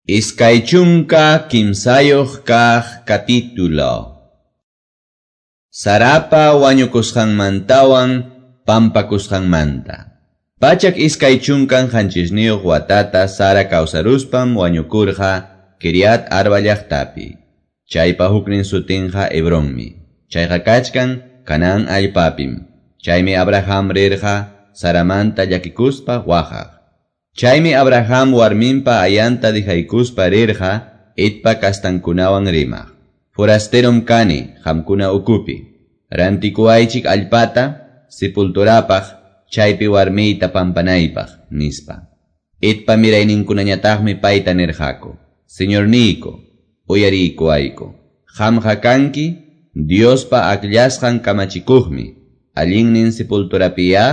23 kaq capítulo. Sarapa wañukusqanmantawan pampakusqanmanta. 127 watata Sara kawsaruspam wañukurqa Kiriat Arba llaqtapi. Chaypa huknin sutinqa Hebronmi. Chayqa kachkan Canaán allpapim. Chaymi Abraham rirqa Saramanta llakikuspa waqaq. Chaymi Abraham warminpa ayanta dihaykuspa rirqa Hetpa kastankunawan rimaq. Forasterom kani qamkuna ukupi. Rantikuwaychik allpata sepulturapaq chaypi warmiyta pampanaypaq, nispa. Hetpa mirayninkunañataqmi payta nirqaku: Señorniyku, uyariykuwayku. Qamqa kanki Diospa akllasqan kamachikuqmi. Allinnin sepulturapiya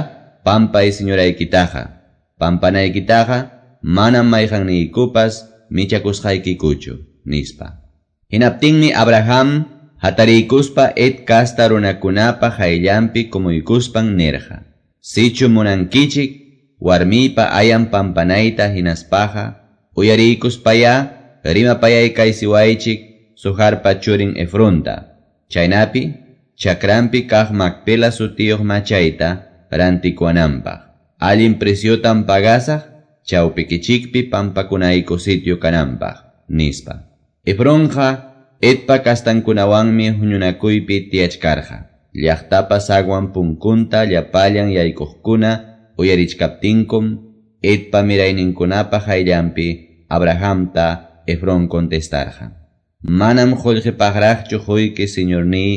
pampay señoraykitaqa. Pampanaykitaqa manam mayqanniykupas michakusqaykikuchu, nispa. Hinaptinmi Abraham hatariykuspa Het kasta runakunapa hayllanpi kumuykuspan nirqa: Sichu munankichik warmiypa ayan pampanayta hinaspaqa uyariykuspaya rimapayaykaisiwaychik Suharpa churin Efronta. Chaynapi chakranpi kaq Macpela sutiyuq machayta rantikuwananpaq. Allin preciotan pagasaq chawpikichikpi pampakunayku sitio kananpaq, nispa. Efronqa Hetpa kastankunawanmi huñunakuypi tiyachkarqa. Llaqtapa sagwan punkunta llapallan yaykuqkuna uyarichkaptinkum Hetpa mirayninkunapa hayllanpi Abrahamta Efrón contestarqa: Manam qullqipaqraqchu quyki, señorniy,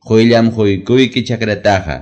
quyllam quykuyki chakrataqa,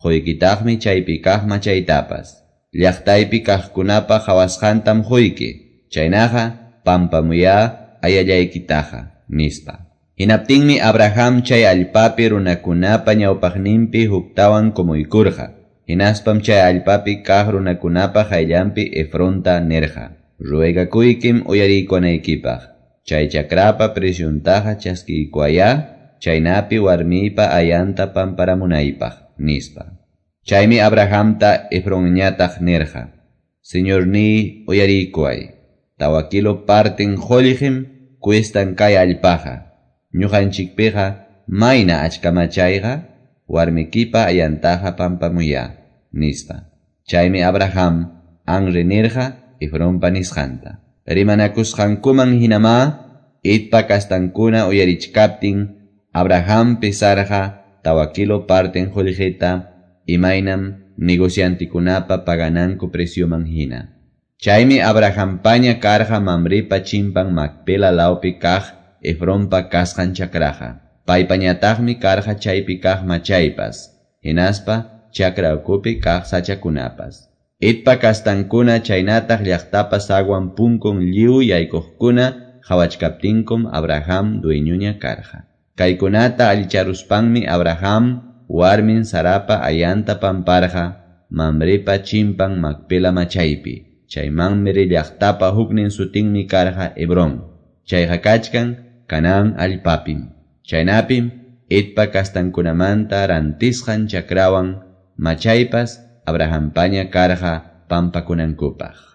quykitaqmi chaypi kaq machaytapas. Llaqtaypi kaqkunapa qhawasqantam quyki, chaynaqa pampamuya ayallaykitaqa, nispa. Hinaptinmi Abraham chay allpapi runakunapa ñawpaqninpi huktawan kumuykurqa. Hinaspam chay allpapi kaq runakunapa hayllanpi Efronta nirqa: Ruegakuykim uyariykunaykipaq. Chay chakrapa presyuntaqa chaskiykuwaya, chaynapi warmiypa ayanta pamparamunaypaq, nispa. Chaymi Abrahamta Efronñataq nirqa: Señorniy, uyariykuway. 4 kilo parten qullqim cuestan kay allpaqa. Ñuqanchikpiqa mayna achka machayqa warmikipa ayantaqa pampamuya, nispa. Chaymi Abraham anri nirqa Efronpa nisqanta. Rimanakusqankuman hinamá Hetpa kastankuna uyarichkaptin Abraham pesarqa 4 kilo parten qullqita imaynam negociantikunapa pagananku precioman hina. Chaymi Abrahampaña karqa Mamrepa chimpan Macpela lawpi kaq Efronpa kasqan chakraqa. Paypañataqmi karqa chaypi kaq machaypas, hinaspa chakra ukupi kaq sachakunapas. Hetpa kastankuna chaynataq llaqtapa sagwan punkun lliw yaykuqkuna qhawachkaptinkum Abraham dueñuña karqa. Kaykunata allicharuspanmi Abraham warmin Sarapa ayanta pamparqa Mamrepa chimpan Macpela machaypi. Chay Mamre llaqtapa huknin sutinmi karqa Hebrón. Chayqa kachkan Canaán allpapim. Chaynapim Hetpa kastankunamanta rantisqan chakrawan machaypas Abrahampaña karqa pampakunankupaq.